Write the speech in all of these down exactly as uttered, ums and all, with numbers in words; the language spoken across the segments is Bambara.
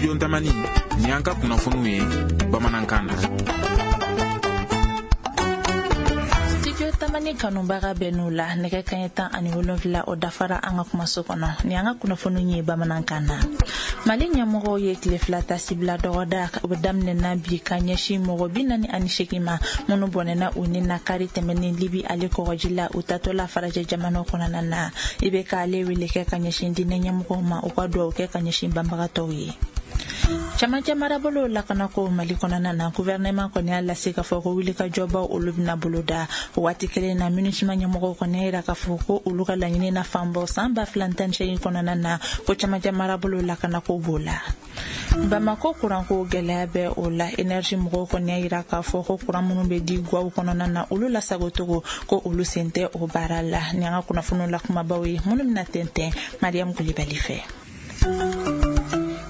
Studio Tamani, ni an ka kunnafoniw ye bamanankan na. Studio Tamani kanubaga bɛ n'u la, nɛgɛ kaɲɛ tan ani wolonfila o dafara an ka kumaso kɔnɔ. Ni an ka kunnafoniw ye bamanankan na. Mali ɲɛmɔgɔw ye tile fila tasibila dɔgɔda o bɛ daminɛna bi ka ɲɛsin mɔgɔ bi naani ani seegin ma minnu bɔnɛna u ni na kari tɛmɛnen Libi ale kɔgɔji la, u tatɔ la farajɛ jamanaw kɔnɔna na. I bɛ k'ale wele kɛ ka ɲɛsin diinɛ ɲɛmɔgɔw ma, u ka dugawu kɛ ka ɲɛsin banbagatɔw ye. Camancɛ marabolo lakanako Mali kɔnɔna na, gouvernement kɔni y'a lase k'a fɔ ko wulikajɔbaw olu bɛna boloda. O waati kelen na, MINUSMA ɲɛmɔgɔw kɔni y'a yira k'a fɔ ko olu ka laɲini na fanbaw san ba fila tan ni seegin kɔnɔna na, ko camancɛ marabolo lakanako b'o la. Bamako kuranko gɛlɛya bɛ o la, énergie mɔgɔw kɔni y'a yira k'a fɔ ko kuran minnu bɛ di gaw kɔnɔna na, olu lasagocogo ko olu sen tɛ o baara la. Ni an ka kunnafoniw la kumabaw ye minnu bɛna tɛntɛn Mariam Kulibali fɛ.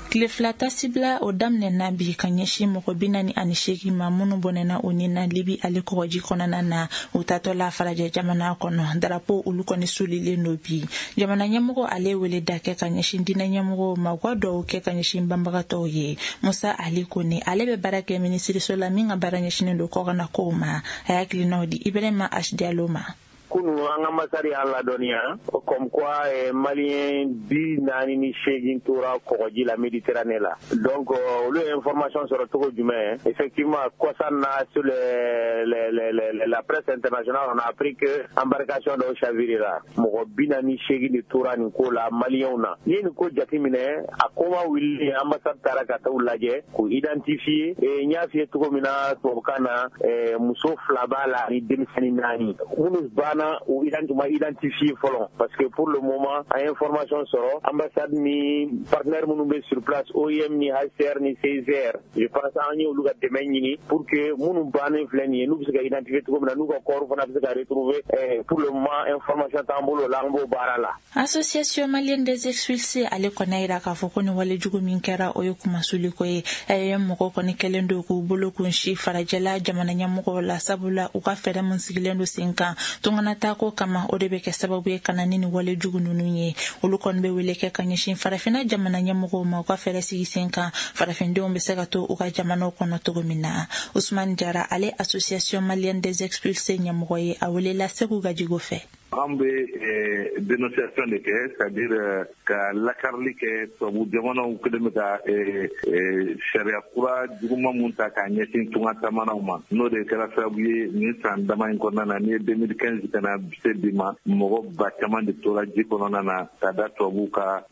Tile fila tasibila o daminɛna bi ka ɲɛsin mɔgɔ bi naani ani seegin ma minnu bɔnɛna u ni na Libi ale kɔgɔji kɔnɔna na, u tatɔ la farajɛ jamana kɔnɔ. Darapo olu kɔni sulilen don bi. Jamana ɲɛmɔgɔ ale wele da kɛ ka ɲɛsin diinɛ ɲɛmɔgɔw ma, u ka dugawu kɛ ka ɲɛsin banbagatɔw ye. Musa Ali Kone, ale bɛ baara kɛ minisiriso la min ka baara ɲɛsinnen don kɔkanna kow ma. A y'a hakilinaw di Ibrahima H Diallo ma. Kunu an ka ambassade y'an ladɔnniya comme quoi eh, malien bi naani ni seegin tora kɔgɔji la, Méditerranée la. Donc olu ye information sɔrɔ cogo jumɛn? Effectivement, kɔsa na, sur les, les, les, les, la presse internationale, on a appris que embarcation dɔw chavirera, mɔgɔ bi naani seegin de tora nin ko la maliyɛnw na. N'i ye nin ko jateminɛ, a ko ma wuli, ambassade taara ka taa u lajɛ k'u identifier. N y'a f'i ye cogo min na tubabukan na, eh, muso fila b'a la ni denmisɛnnin naani. Minnu banna, u ma identifier fɔlɔ, parce que pour le moment an ye information sɔrɔ, ambassade ni partenaire minnu bɛ sur place, O I M ni H C R ni C I C R, je pense an ye olu ka dɛmɛ ɲini pour que minnu bannen filɛ nin ye, n'u bɛ se ka identifier cogo min na, n'u ka corps fana bɛ se ka retrouver. Pour le moment, information t'an bolo la, an b'o baara la. Association malienne des expulsés ale kɔni y'a yira k'a fɔ ko nin walejugu min kɛra, o ye kumasuliko ye. A E E M mɔgɔw kɔni kɛlen don k'u bolo kun si farajɛla jamana ɲɛmɔgɔw la, sabula u ka fɛɛrɛ min sigilen don sen kan tunganatako kama, o de bɛ kɛ sababu ye ka na ni nin walejugu ninnu ye. Olu kɔni bɛ wele kɛ ka ɲɛsin farafinna jamana ɲɛmɔgɔw ma, u ka fɛɛrɛ sigi sen kan, farafindenw bɛ se ka to u ka jamanaw kɔnɔ cogo min na. Usman Jara, ale Association malienne des expulsés ɲɛmɔgɔ ye, a welela Segu Gajigo fɛ. An bɛ dénonciation de kɛ, c'est à dire ka lakarili kɛ. Tubabu jamanaw kɛlen bɛ ka sariya kura juguman mun ta k'a ɲɛsin tunga taamanaw ma, n'o de kɛra sababu ye nin san dama in kɔnɔna na, n'i ye deux mille quinze ka na se bi ma, mɔgɔ ba caman de tora ji kɔnɔna na ka da tubabuw ka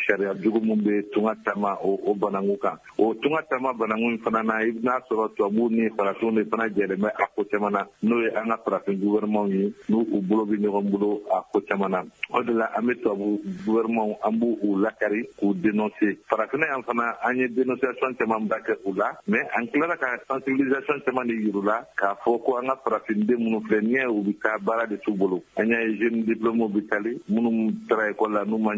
sariya jugu mun bɛ tunga taama o bananku kan. O tunga taama bananku in fana na, i bɛna sɔrɔ tubabuw ni farafinw de fana jɛlen bɛ a ko caman na, n'o ye an ka farafin gouvernement ye, n'u u bolo bɛ ɲɔgɔn bolo a ko caman na. O de la an bɛ tubabu gouvernement, an b'u u lakari k'u dénoncer. Farafinna yan fana, an ye dénonciation caman ba kɛ u la, mais an tilara ka sensibilisation caman de yir'u la k'a fɔ ko an ka farafinden minnu filɛ n'i y'a ye, u bɛ taa, baara de t'u bolo. An y'a ye jeune diplômés bɛ tali, minnu taara école la n'u ma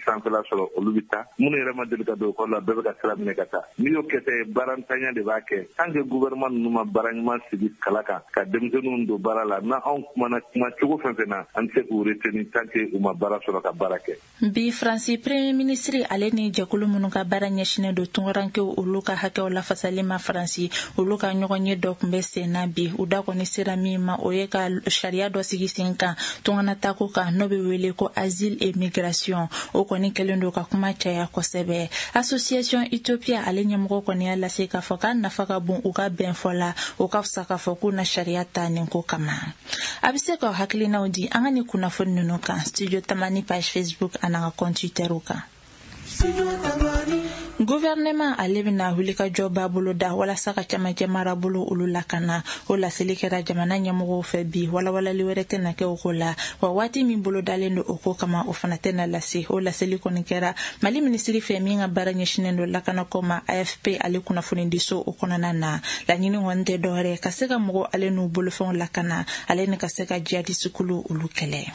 sanfɛla sɔrɔ, olu bɛ taa, minnu yɛrɛ ma deli ka don école la, bɛɛ bɛ ka sira minɛ ka taa. N'i y'o kɛ tɛ, baarantanya de b'a kɛ. Tant que gouvernement ninnu ma baara ɲuman sigi kala kan ka denmisɛnninw don baara la, n'a anw kumana kuma cogo fɛn fɛn na, an tɛ se k'u retenir tant que u ma baara sɔrɔ ka baara kɛ. Bi, Faransi premier ministre ale ni jɛkulu minnu ka baara ɲɛsinnen don tunkarankew olu ka hakɛw lafasali ma Faransi, olu ka ɲɔgɔn ye dɔ tun bɛ sen na bi. U da kɔni sera min ma, o ye ka sariya dɔ sigi sen kan tunganatako kan, n'o bɛ wele ko asile et migration. O kɔni kɛlen don ka kuma caya kosɛbɛ. Association Utopia ale ɲɛmɔgɔ kɔni y'a lase k'a fɔ k'a nafa ka bon u ka bɛn fɔ la, o ka fisa k'a fɔ k'u na sariya ta nin ko kama. A bɛ se k'aw hakilinaw di an ka nin kunnafoni ninnu kan Studio Tamani page Facebook an'an ka compte Twitter kan. Gouvernement ale bɛna wulikajɔba boloda walasa ka camancɛ marabolo olu lakana. O laseli kɛra jamana ɲɛmɔgɔw fɛ bi. Walawalali wɛrɛ tɛna kɛ o ko la, wa waati min bolodalen don o ko kama, o fana tɛna lase. O laseli kɔni kɛra Mali minisiri fɛ min ka baara ɲɛsinen don lakanako ma, A F P ale kunnafonidiso o kɔnɔna na. Laɲini kɔni tɛ dɔwɛrɛ ka se ka mɔgɔ ale n'u bolofɛnw lakana, ale ni ka se ka jihadisukulu olu kɛlɛ.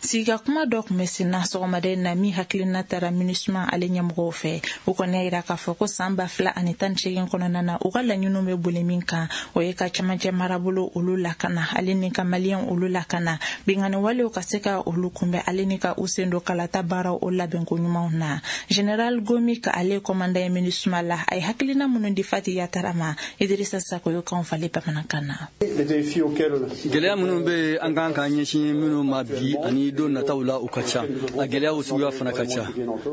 Sigika kuma dɔ tun bɛ sen na sɔgɔmada in na min hakilina taara MINUSMA ale ɲɛmɔgɔw fɛ. U kɔni kɔni y'a yira k'a fɔ ko san ba fila ani tan ni seegin kɔnɔna na, u ka laɲiniw bɛ boli min kan, o ye ka camancɛ marabolo olu lakana, ale ni ka maliyɛn olu lakana, binkanni walew ka se ka olu kunbɛn, ale ni ka u sen don kalata baaraw o labɛnko ɲumanw na. Général Gomi ka ale commandant ye MINUSMA la, a ye hakilina minnu di Fati Yatara ma, Idrissa Sako y'o kan falen bamanankan na. Gɛlɛya minnu bɛ an kan k'an ɲɛsin minnu ma bi ani don nataw la, u ka ca. A gɛlɛyaw suguya fana ka ca.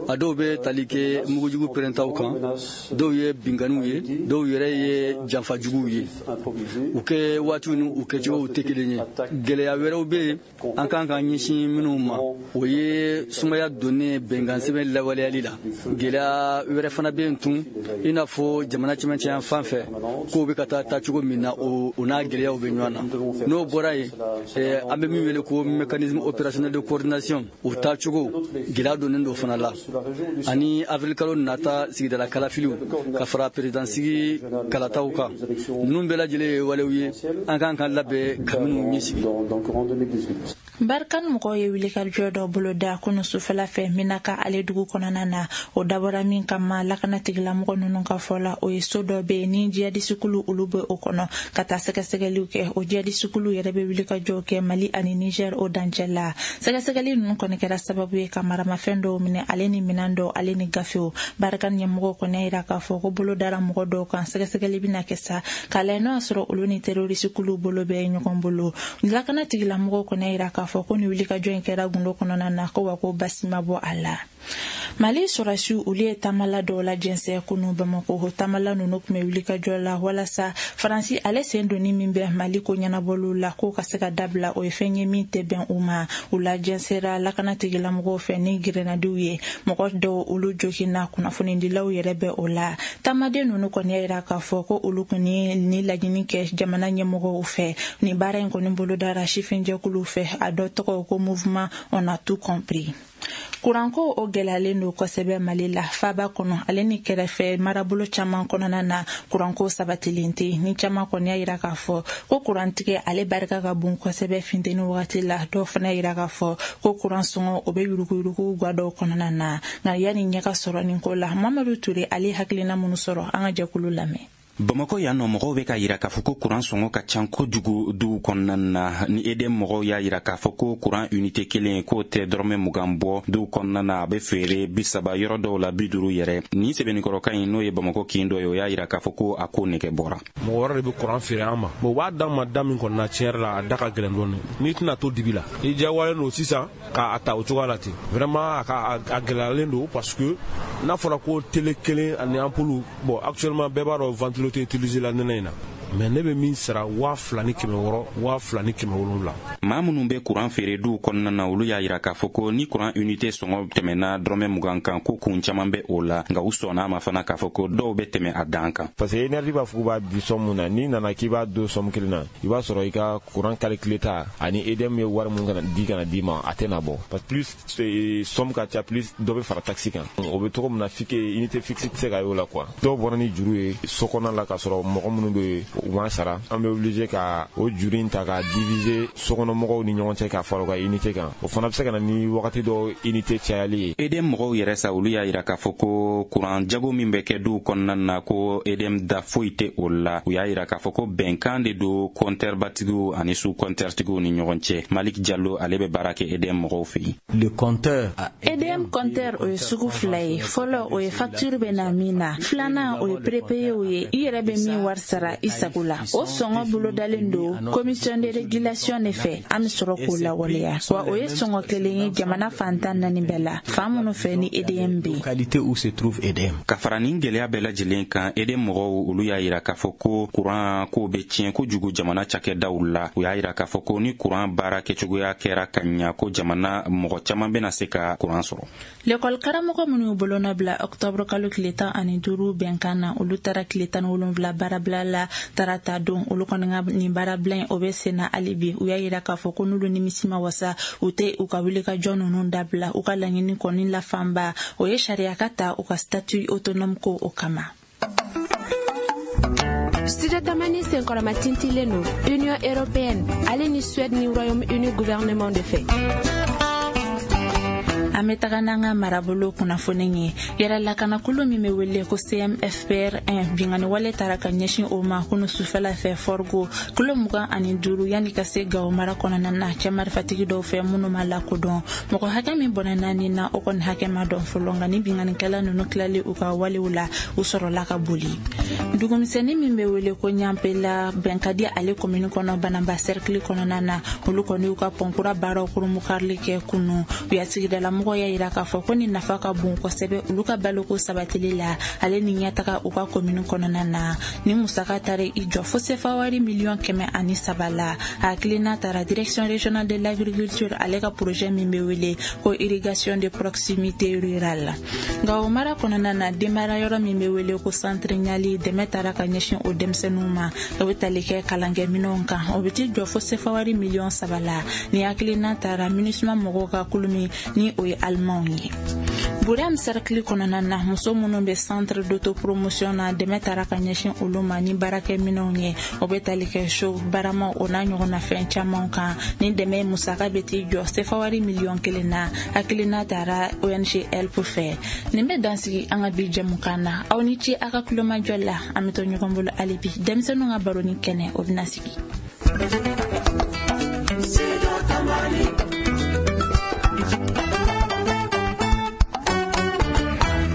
A dɔw bɛ tali kɛ mugujugu pɛrɛntaw kan, dɔw ye binkanniw ye, dɔw yɛrɛ ye janfajuguw ye. U kɛ waatiw ni u kɛcogow tɛ kelen ye. Gɛlɛya wɛrɛw bɛ yen an kan k'an ɲɛsin minnu ma, o ye sumaya donnen bɛnkan sɛbɛn lawaleyali la. Gɛlɛya wɛrɛ fana bɛ yen tun, i n'a fɔ jamana cɛmancɛ yan fan fɛ, kow bɛ ka taa taacogo min na, o n'a gɛlɛyaw bɛ ɲɔgɔn na. N'o bɔra yen, an bɛ min wele ko mécanisme opérationnel de coordination, o taacogo gɛlɛya donnen don fana la, ani avril kalo nata sigidala kalafiliw ka fara perezidansigi kalataw kan. Ninnu bɛɛ lajɛlen ye walew ye an kan ka labɛn ka minnu ɲɛsigi. Barkhane mɔgɔw ye wulikajɔ dɔ boloda kunu sufɛla fɛ Minaka ale dugu kɔnɔna na. O dabɔra min kama, lakana tigilamɔgɔ ninnu ka fɔ la, o ye so dɔ bɛ yen ni jihadisikulu olu bɛ o kɔnɔ, ka taa sɛgɛsɛgɛliw kɛ. O jihadisikulu yɛrɛ bɛ wulikajɔw kɛ Mali ani Niger o dancɛ la. Sɛgɛsɛgɛli ninnu kɔni kɛra sababu ye ka maramafɛn dɔw minɛ, ale ni minɛn dɔw, ale ni gafew. Barkhane ɲɛmɔgɔw kɔni y'a yira k'a fɔ ko bolo dara mɔgɔ dɔw kan, sɛgɛsɛgɛli bɛna kɛ sa k'a lajɛ n'o y'a sɔrɔ olu ni terrorisikulu bolo bɛ ɲɔgɔn bolo. Lakana tigilamɔgɔw kɔni y'a yira k'a fɔ ko ni wulikajɔ in kɛra gundo kɔnɔna na, ko wa ko basi ma bɔ a la. Mali sɔrɔsiw olu ye taamala dɔw la jɛnsɛn kunu Bamako. Taamala ninnu tun bɛ wulikajɔ la walasa Faransi ale sen donni min bɛ Mali ko ɲɛnabɔliw la, k'o ka se ka dabila. O ye fɛn ye min tɛ bɛn u ma. U la jɛnsɛra lakana tigilamɔgɔw fɛ ni grenadiw ye, mɔgɔ dɔw olu joginna, kunnafonidilaw yɛrɛ bɛ o la. Taamaden ninnu kɔni y'a yira k'a fɔ ko olu kɔni ni laɲini kɛ jamana ɲɛmɔgɔw fɛ. Nin baara in kɔni bolodara sifinjɛkuluw fɛ, a dɔ tɔgɔ ko Mouvement On a tout compris. Kuranko o gɛlɛyalen don kosɛbɛ Mali la, faba kɔnɔ ale ni kɛrɛfɛ marabolo caman kɔnɔna na. Kuranko sabatilen tɛ. Ni caman kɔni y'a yira k'a fɔ ko kurantigɛ ale barika ka bon kosɛbɛ funteni wagati la. Dɔw fana y'a yira k'a fɔ ko kuran sɔngɔ o bɛ yuruguyurugu ga dɔw kɔnɔna na. Nka yanni ɲɛ ka sɔrɔ nin ko la, Mamadu Ture ale hakilina minnu sɔrɔ, an ka jɛkulu lamɛn. Bamakɔ yan nɔ, mɔgɔw bɛ ka yira k'a fɔ ko kuran sɔngɔ ka ca kojugu dugu kɔnɔna na. Ni E D M mɔgɔw y'a yira k'a fɔ ko kuran unité kelen k'o tɛ dɔrɔmɛ mugan bɔ dugu kɔnɔna na, a bɛ feere bi saba, yɔrɔ dɔw la bi duuru yɛrɛ. Nin sɛbɛnnikɔrɔkan in, n'o ye Bamakɔ kin dɔ ye, o y'a yira k'a fɔ ko a ko nɛgɛ bɔra. Mɔgɔ wɛrɛ de bɛ kuran feere an ma, bon, u b'a d'an ma da min kɔni na, tiɲɛ yɛrɛ la, a da ka gɛlɛn dɔɔnin. N'i tɛna to dibi la, i diyagoyalen don sisan k'a ta o cogoya la ten. Vraiment, a ka a gɛlɛyalen don, parce que n'a fɔra ko télé kelen ani ampoule, bon, actuellement bɛɛ b'a dɔn ventilo tɛ utiliser la nɛnɛ in na, mais ne bɛ min sara, waa fila ni kɛmɛ wɔɔrɔ, waa fila ni kɛmɛ wolonwula. Maa minnu bɛ kuran feere duw kɔnɔna na, olu y'a yira k'a fɔ ko ni kuran unité sɔngɔ tɛmɛna dɔrɔmɛ mugan kan, ko kun caman bɛ o la. Nka u sɔnna a ma fana k'a fɔ ko dɔw bɛ tɛmɛ a dan kan. Parce que énergie b'a fɔ k'u b'a di somme mun na, n'i nana k'i b'a don somme kelen na, i b'a sɔrɔ i ka courant calculé ta ani E D M ye wari mun kana di kana d'i ma, a tɛna bɔ, parce que plus somme ka ca, plus dɔ bɛ fara taxe kan. O bɛ cogo min na, fixe unité fixe tɛ se ka y'o la quoi. Dɔw bɔra ni juru ye so kɔnɔna la k'a sɔrɔ mɔgɔ minnu bɛ u ma sara, an bɛ obligé ka o juru in ta ka diviser sokɔnɔmɔgɔw ni ɲɔgɔn cɛ ka fara u ka unité kan. O fana bɛ se ka na ni wagati dɔ unité cayali ye. E D M mɔgɔw yɛrɛ sa, olu y'a yira k'a fɔ ko kuran jago min bɛ kɛ duw kɔnɔna na, ko E D M da foyi tɛ o la. U y'a yira k'a fɔ ko bɛnkan de don compteur batigiw ani sous compteur tigiw ni ɲɔgɔn cɛ. Malik Jalo, ale bɛ baara kɛ E D M mɔgɔw fɛ yen. Le compteur. E D M compteur, o ye sugu fila ye. Fɔlɔ, o ye facture bɛ na min na. Filanan, o ye prépayé ye, i yɛrɛ bɛ min wari sara i sago la. O sɔngɔ bolodalen don commission de régulation de fɛ, an bɛ sɔrɔ k'o lawaleya. Wa o ye sɔngɔ kelen ye jamana fan tan naani bɛɛ la, fan minnu fɛ ni E D M bɛ yen. Localité où se trouve E D M. Ka fara nin gɛlɛya bɛɛ lajɛlen kan, E D M mɔgɔw olu y'a yira k'a fɔ ko kuran ko bɛ tiɲɛ kojugu jamana cakɛdaw la. U y'a yira k'a fɔ ko ni kuran baara kɛcogoya kɛra ka ɲa, ko jamana mɔgɔ caman bɛna se ka kuran sɔrɔ. Lekɔli karamɔgɔ minnu y'u bolonɔ bila ɔktɔburu kalo tile tan ani duuru bɛnkan na, olu taara tile tan ni wolonwula baarabila la tarata don. Olu kɔni ka nin baarabila in, o bɛ sen na hali bi. U y'a yira k'a fɔ ko n'olu nimisi ma wasa, u tɛ u ka wulikajɔ ninnu dabila. U ka laɲini kɔni la fanba, o ye sariya ka ta u ka statut autonome ko o kama. Studio Tamani senkɔrɔma tintilen don Union européenne ale ni Suède ni Royaume-Uni gouvernement de fɛ. An bɛ taga n'an ka marabolo kunnafoni ye. Yɛrɛ lakanakulu min bɛ wele ko C M F P R un, binkanni wale taara ka ɲɛsin o ma kunu sufɛla fɛ Forgo, kilo mugan ani duuru yanni ka se Gawo mara kɔnɔna na, cɛ marifatigi dɔw fɛ minnu ma lakodɔn. Mɔgɔ hakɛ min bɔnɛna nin na, o kɔni hakɛ ma dɔn fɔlɔ, nka ni binkannikɛla ninnu tilali u ka walew la, u sɔrɔla ka boli. Dugumisɛnnin min bɛ wele ko Ɲanpela, Bɛnkadi ale komini kɔnɔ, Bananba cercle kɔnɔna na, olu kɔni y'u ka pɔnkura baaraw kurunbonkarili kɛ kunu. U ya sigidalamɔgɔw y'a yira k'a fɔ ko nin nafa ka bon kosɛbɛ olu ka baloko sabatili la, ale ni ɲɛtaga u ka komini kɔnɔna na. Ni musaka taara i jɔ fo sefa wari miliyɔn kɛmɛ ani saba la. A hakilina taara Direction régionale de l'agriculture ale ka projet min bɛ wele ko irrigation de proximité rurale. Nka o mara kɔnɔna na, denbaya yɔrɔ min bɛ wele ko centre Ɲali, dɛmɛ taara ka ɲɛsin o denmisɛnninw ma. O bɛ tali kɛ kalankɛminɛnw kan, o bɛ t'i jɔ fo sefa wari miliyɔn saba la. Ni hakilina taara MINUSMA mɔgɔw ka kulu min ni o ye alimanw ye. Burem cercle kɔnɔna na, muso minnu bɛ centre d'autopromotion na, dɛmɛ taara ka ɲɛsin olu ma ni baarakɛminɛnw ye. O bɛ tali kɛ so baramaw, o n'a ɲɔgɔnna fɛn caman kan. Ni dɛmɛ musaka bɛ t'i jɔ sefa wari miliyɔn kelen na. Hakilina taara O N G HELP fɛ. Nin bɛ dansigi an ka bi jɛmukan na. Aw ni ce a ka kulomajɔ la. An bɛ to ɲɔgɔn bolo hali bi, denmisɛnninw ka baroni kɛnɛ, o bɛna sigi.